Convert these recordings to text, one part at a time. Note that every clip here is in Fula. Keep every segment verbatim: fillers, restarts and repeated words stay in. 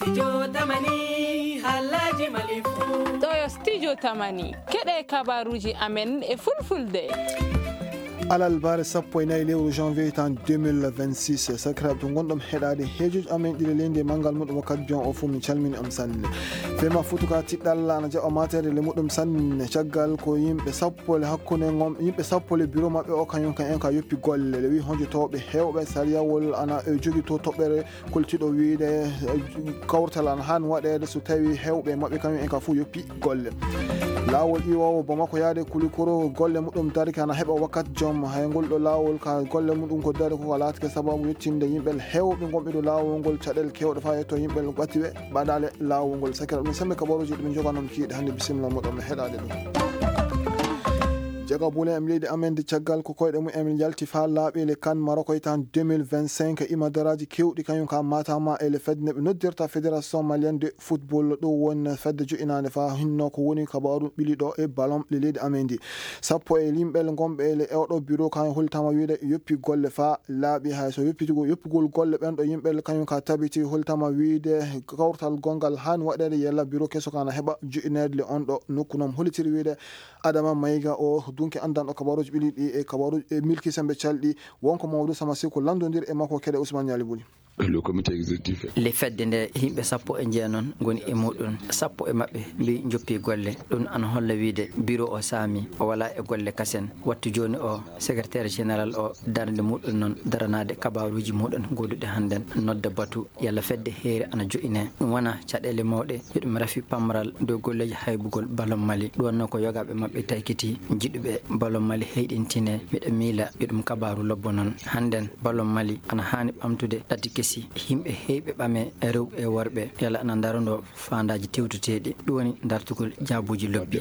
Studio Tamani, halaji malifu. Ɗo yo Studio Tamani. Keɗe kabaruji amen e fulfulde. Alalbaare sappo e nayi lewru janvier tan deux mille vingt-six. Sakiraaɓe to ngonɗon heɗaade heejoji amen ɗiɗi leydi e manngal muɗum wakkati jon o fof, min calmini on sanne. Fema futuka tiɗɗalla ana jaɓa mateede le muɗum sanne. Caggal ko yimɓe sappo le hakkunde ngon, yimɓe sappo le bureau maɓɓe o kañum kan en ka yoppi golle. Le wi honjotooɓe heewɓe sariyawol ana e jogi to toɓɓere koltiɗo wiide, eh, kawtal ana haani waɗeede so tawi heewɓe maɓɓe kañum en ka fof yoppi golle. Laawol iwoowo Bamako yaade Kulikoro golle muɗum darike ana heɓa wakkati jom. Hay ngol ɗo laawol ka golle muɗum ko dari ko laatike sababu yettinde yimɓe heewɓe ngonɓe ɗo laawol ngol caɗeele keewɗe faa yetto yimɓe ɓatiɓe baɗaale laawol ngol. Sakira ɗum sembe kabaruuji ɗum joganon kiiɗe hannde, bisimilla muɗum e heɗaade ɗum. Jaga Boulet em leydi amen de caggal ko koyɗe mum en yalti faa laaɓi le kan Maroc e tan deux mille vingt-cinq, ima daraaji keewɗi kañum ka matama e le fedde nde ɓe noddirta Fédération Malienne de Football, ɗo woni fedde joƴinaande faa hinno ko woni kabaru ɓili ɗo e ballon le leydi amen ndi. Sappo e yimɓe ngonɓe e le oɗo bureau kan holtama wiide yoppi golle faa laaɓi hay so yoppitigo, yoppugol golle ɓen ɗo yimɓe kañum ka tabiti holtama wiide kawtal gongal haani waɗeede yalla bureau keso kana heɓa joƴineede le on ɗo nokku noon hollitiri wiide Adama Maïga o dunki anndanɗo kabaruuji ɓili ɗi e kabaruuji e milki sembe calɗi, wonko Mamadou Sama Siko lanndondir e makko keɗe Ousmane Niali Buli. Le comité exécutif. Le fedde nde yimɓe sappo e jeenon ngoni e muɗum, sappo e maɓɓe mbi joppi golle. Ɗum ana holla wiide bureau o saami, o wala e golle kasen. Wattu jooni o, secrétaire général o, darnde muɗum noon daranaade kabaruuji muɗum gooduɗi hannden, nodda batu yalla fedde heere ana joƴine. Ɗum wona caɗeele mawɗe, yo ɗum rafi pamral dow golleeji haybugol ballon Mali. Ɗum wonno ko yogaaɓe maɓɓe taykiti, jiɗuɓe ballon Mali heyɗintine. Miɗo miila yo ɗum kabaru lobbo noon. Hannden ballon Mali ana haani ɓamtude ɗati kesi, yimɓe heyɓe ɓame, rewɓe e worɓe, yalla ana ndarondo faandaaji tewtuteeɗi. Ɗum woni dartugol jaabuuji lobbi.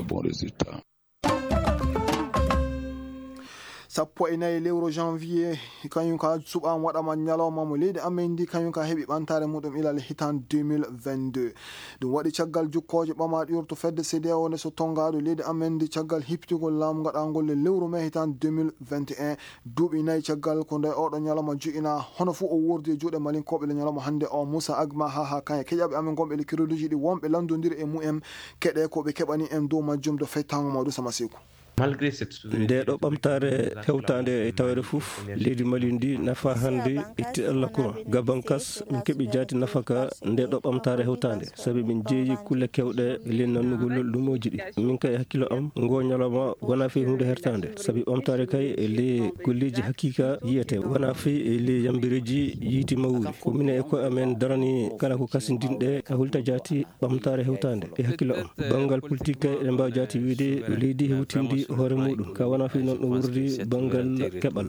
Sappo e nayi lewru janvier, kañum ka suɓaama waɗama ñalawma mo leydi amen ndi, kañum ka heɓi ɓantaare muɗum ilal hitan deux mille vingt-deux. Ɗum waɗi caggal jukkooje ɓamaaɗe urto fedde C D A O nde so tonngaɗo leydi amen ndi caggal hippitugol laamu gaɗangol le lewru mai hitan deux mille vingt et un. Duuɓi nayi caggal ko nde oɗo ñalawma joƴina, hono fof o wordi e juuɗe Malinkooɓe le ñalawma hannde o. Moussa Agma ha ha kañe keƴaɓe amen gonɓe le crédit ji ɗi wonɓe lanndondiri e mumen keɗe ko ɓe keɓani en dow majjum do fettango Maodo Sama Seku. Malgré cette souveraineté, nde ɗo ɓamtaare hewtaande e tawere fof, leydi Mali ndi nafa hannde itti Allah courant. Gabankas, min keɓi jaati nafaka nde ɗo ɓamtaare hewtaande, sabi min jeeyi kulle kewɗe e ley nannugol lumooji ɗi. Min kay e hakkilo am, ngo ñalawma wona fii huunde hertaande, sabi ɓamtaare kay e ley golleeji hakiika yiyete, wona fii e ley yambireeji yiiti mawri. Ko minen e koye amen darani kala ko kasindinɗe ka hulta jaati ɓamtaare hewtaande e hakkilo am. Banngal politik kay, eɗen mbaawi jaati wiyde leydi hewtindi hoore muɗum. Ka wona fii noon ɗum wurdi banngal keɓal.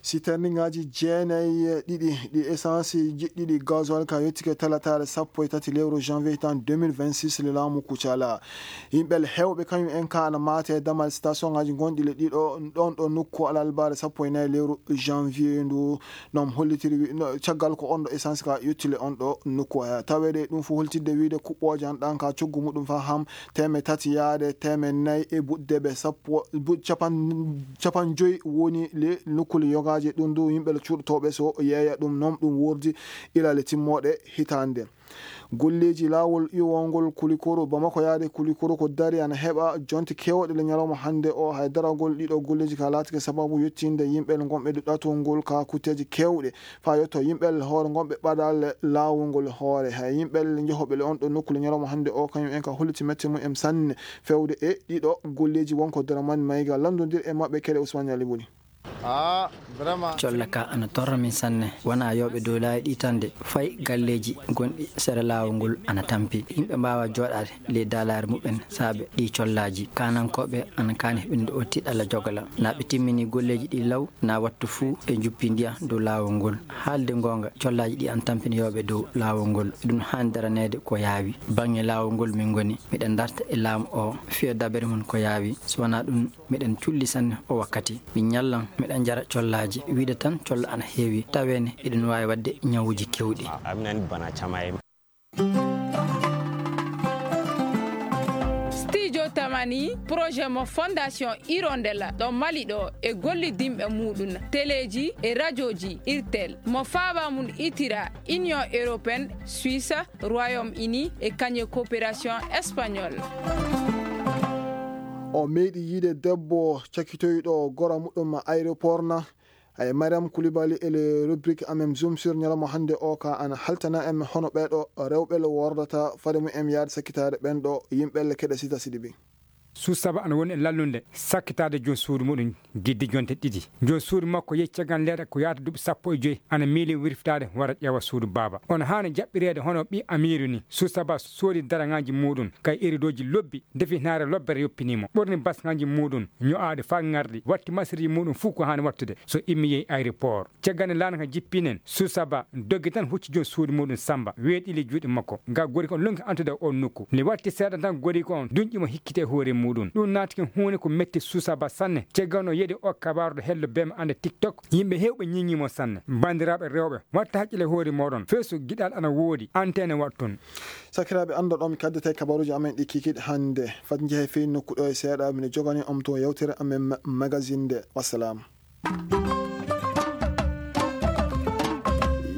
Siterningaaji jeenayi e ɗiɗi ɗi essence jiɗɗiɗi gasoil ka yettike talataare sappo e tati lewru janvier tan deux mille vingt-six le laamu Kucala. Yimɓe hewɓe kañum en ka ana maate e damal station ngaji gonɗi le ɗiɗo ɗon ɗo nokku alalbaare sappo e nayi lewru janvier ndu. Noon hollitiri wi-, no, caggal ko on ɗo essence ka yettile on ɗo nokku haya. Taweede ɗum fof holtidde wiide kuɓɓooje an ɗan ka coggu muɗum fa ham teemeɗɗe tati yaade teemeɗɗe nayi e buɗdeɓe sappo, buɗ-, capan-, capan joyi woni le nokkule yogaaje. Ɗum du yimɓe le cuuɗotooɓe so yeeya ɗum noon ɗum wordi ilale timmooɗe hitaande. Golleeji laawol iwongol Kulikoro, Bamako yaade Kulikoro ko dari ana heɓa jonte keewɗe le ñalawma hannde o. Hay daragol ɗiɗo golleeji ka laatike sababu yettinde yimɓe le gonɓe ɗato ngol ka kutteeji keewɗe. Faa yetto yimɓe hoore ngonɓe ɓadaale laawol ngol hoore. Hay yimɓe njohoɓe le on ɗo nokku le ñalawma hannde o, kañum en ka holliti mette mum en sanne fewde e ɗiɗo golleeji. Wonko Dramane Mayga lanndondir e maɓɓe keɗe Ousmane Ali Boli. Ah, vraiment. Colla ka ana torra min sanne. Wona yooɓe dow laawi ɗi tan de. Fay galleeji gonɗi sera laawol ngol ana tampi. Yimɓe mbaawa jooɗaade ley daalaare muɓɓen saabe ɗi collaaji. Kaanankooɓe ana kaani heɓinde o tiɗalla jogala. Na ɓe timmini golleeji ɗi law, na wattu fuu ɓe njuppi ndiya dow laawol ngol. Haalde ngoonga, collaaji ɗi ana tampina yooɓe dow laawol ngol. Ɗum haani daraneede ko yaawi. Baŋŋe laawol ngol min ngoni. Miɗen darta e laamu o, fiya dabere mum ko yaawi. So wonaa ɗum, miɗen culli sanne o wakkati. Min ñallan, miɗen njara collaaji. Wiide tan, colla ana heewi. Taweene, eɗen waawi waɗde ñawuuji keewɗi. Amnan bana camaye. Studio Tamani projet mo Fondation Hirondelle ɗo Mali ɗo e gollidinɓe muɗum teleeji e rajoji Irtel mo faaba mum itira Union Européenne, Suisse, Royaume-Uni e kañe coopération espagnole. O meeɗi yiide debbo cakitoyɗo gora muɗum aéroport na. Ay Mariam Koulibaly e le rubrique amen Zoom sur ñalawma hannde o ka ana haltana en hono ɓeeɗo rewɓe le wordata fade mum en yaade sakkitaade ɓen ɗo yimɓe le keɗe sita sidibi. Suusaba ana woni e lallunde sakkitaade joom suudu muɗum gidde jonte ɗiɗi. Joom suudu makko yehi caggal leeɗe ko yaata duuɓi sappo e joy ana miili wirfitaade wara ƴeewa suudu baaba. Ono haani jaɓɓireede hono ɓii amiiru ni. Suusaba soodi daraŋaaji muɗum kay iridoji lobbi, defi naare lobbere yoppinii mo. Ɓorni basŋaaji muɗum ño'aaɗi faa ŋarɗi, watti masirji muɗum fuu ko haani wattude. So immi yehi aéroport. Caggal nde laana ka jippinen, Suusaba doggi tan hucci joom suudu muɗum Samba, weeɗili juuɗe makko. Ga gori kon lonki antude oon nokku. Nde watti seeɗa tan gori kon dunƴi mo hikkite hoore muɗum. Ɗum naati ken huunde ko metti Suusaba sanne. Caggal no yeɗi o kabaaru ɗo hello bee mo annde TikTok. Yimɓe heewɓe ñiŋi mo sanne. Banndiraaɓe rewɓe, watta hakkile hoore moɗon. Feesu giɗal ana woodi, antenne waɗton. Sakiraaɓe, annda ɗo mi kaddata e kabaruuji amen ɗi kikiɗe hannde. Fat njehe fey nokku ɗo e seeɗa, mine jogani on to yewtere amen ma-, magazine nde. Wassalam.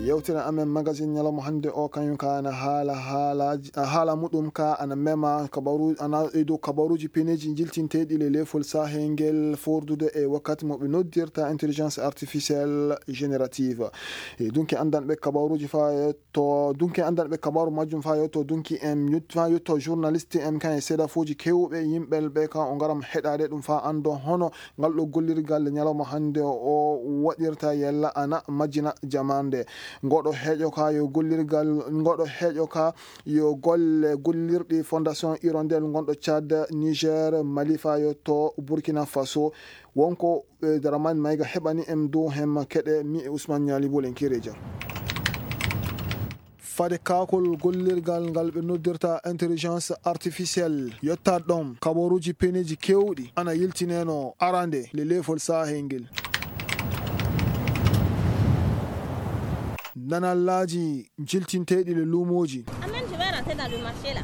Yewtere amen magazine ñalawma hannde o, kañum ka ana haala haalaaji, haala muɗum ka ana mema kabaru-, ana e dow kabaruuji peneeji jiltinteeɗi le leefol Sahel ngel fordude e wakkati mo ɓe noddirta intelligence artificielle générative. E dunki anndanɓe kabaruuji faa to dunki anndanɓe kabaaru majjum faa yetto dunki en yut-, faa yetto journaliste en kan e seedafuuji kewɓe yimɓe ɓe ka o ngaram heɗaade ɗum faa anndo hono ngal ɗo gollirgal ñalawma hannde o waɗirta yella ana majjina jamaande. Ngoɗo heeƴo ka yo gollirgal, ngoɗo heeƴo ka yo golle gollirɗi Fondation Hirondelle ngonɗo Tchad, Niger, Mali faa yetto Burkina Faso. Wonko, eh, Dramane Maïga heɓani en dow hemma keɗe mi e Ousmane Niali Bolen Kereja. Fade kaakol gollirgal ngal ɓe noddirta intelligence artificielle, yettat ɗon kabaruuji peneeji kewɗi ana yiltineno arande le leefol Sahel ngel. Nanallaaji jiltinteeɗi le luumooji. Amen, je vais rentrer dans le marché là.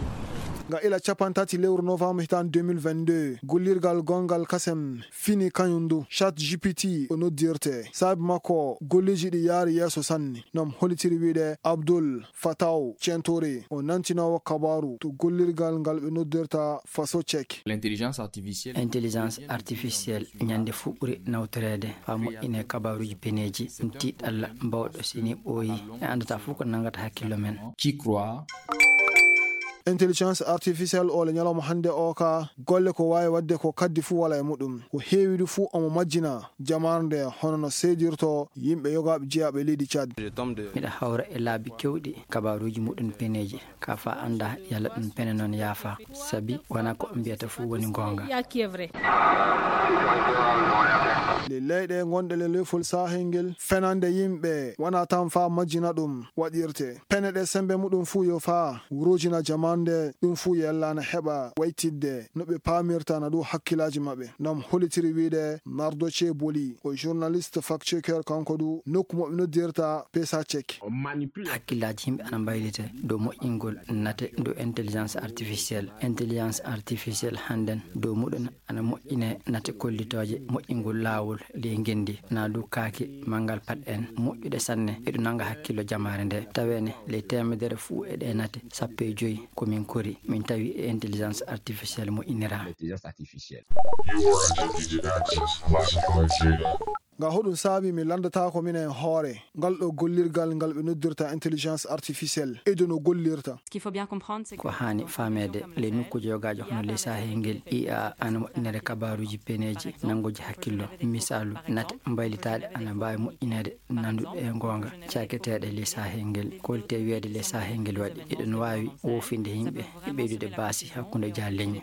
Nga ila capantati lewru novembre hitan deux mille vingt-deux, gollirgal gongal kasem fini kañum ndu, Chat G P T o noddirte. Saabi makko, golleeji ɗi yaari yeeso sanne. Nom hollitiri wiide Abdul Fataw Centore, o nantinoowo kabaaru to gollirgal ngal ɓe noddirta Faso Check. L'intelligence artificielle. Intelligence artificielle ñande fuu ɓuri nawtoreede faa moƴƴine kabaaruuji peneeji, ɗum tiiɗalla mbawɗo sini ɓooyi, en anndataa fuu ko nanngata hakkillo men. Qui croit. Intelligence artificielle o le ñalawma hannde o ka golle ko waawi waɗde ko kaddi fuu wala e muɗum. Ko heewi du fuu omo majjina jamaare nde hono no seedirto yimɓe yogaaɓe jeyaaɓe leydi Tchad. Miɗa hawra e laabi kewɗi kabaaruuji muɗum peneeji, ka faa annda yalla ɗum pene noon yaafa, sabi wonaa ko mbiyata fuu woni goonga. Le leyɗe gonɗe le lefol Sahel ngel, fenande yimɓe wonaa tan faa majjina ɗum waɗirte. Pene ɗe sembe muɗum fuu yo faa wurujina jamaande, ɗum fuu yellana heɓa waytidde no ɓe paamirta na ɗum hakkillaaji maɓɓe. Nom hollitiri wiide Nardoce Boli, o journaliste fact-checker kanko du, nokku mo ɓe noddirta Pesa Check. Hakkillaaji yimɓe ana mbaylite dow moƴƴingol nate dow intelligence artificielle. Intelligence artificielle hannden dow muɗum ana moƴƴine nate kollitooje moƴƴingol laawol ley ngenndi, na du kaaki manngal pat en moƴƴuɗe sanne, eɗum nannga hakkillo jamaare nde. Taweene ley teemedere fuu e ɗe nate sappo e joy ko min kori, min tawi e intelligence artificielle moƴƴinira. Intelligence artificielle. You are addicted to access classified data. Nga hoɗum saabi mi lanndataako minen hoore ngal ɗo gollirgal ngal ɓe noddirta intelligence artificielle e dow no gollirta. Ce qu'il faut bien comprendre, c'est que Ko haani faameede, ley nokkuuji yogaaji hono ley Sahel ngel, I A ana moƴƴinere kabaaruuji peneeji nannguuji hakkillo. Misaalu, nate mbaylitaaɗe ana mbaawi moƴƴineede nannduɗe e goonga caaketeeɗe ley Sahel ngel. Ko holti wiyeede ley Sahel ngel waɗi? Eɗen waawi woofinde yimɓe e ɓeydude baasi hakkunde jaalleñi.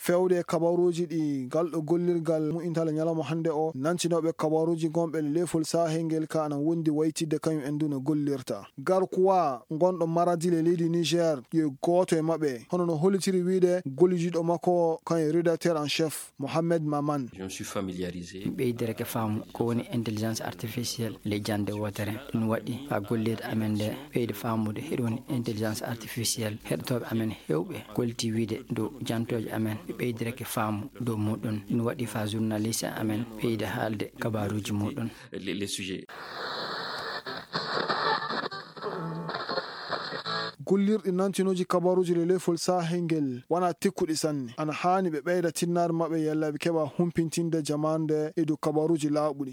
pewde e kabaruuji ɗi ngal ɗo gollirgal mu'intale ñalawma hannde o, nantinooɓe kabaruuji gonɓe e leefol saahel ngel ka ana wondi waytidde kañum en du no gollirta. Garkuwa gonɗo Maradi le leydi Niger, yo gooto e maɓɓe, hono no hollitiri wiide gollidiiɗo makko o, kañum rédacteur en chef, Mohamed Maman. Je me suis familiarisé. Mi ɓeydirake faamu ko woni intelligence artificielle le jannde wootere. Ɗum waɗi haa golleede amen nde ɓeydi faamude hiɗo woni intelligence artificielle. Heɗotooɓe amen heewɓe kolliti wiide dow jantooje amen ɓe ɓeydirake faamu dow muɗum. Ɗum waɗi faa journaliste amen ɓeyda haalde kabaruuji muɗum. Les, les sujets. Gollirɗi nantinooji kabaruuji le leefol saahel ngel wona tekkuɗi sanne. Ana haani ɓe ɓeyda tinnaare maɓɓe yalla ɓe keɓa humpintinde jamaanu nde e dow kabaruuji laaɓuɗi.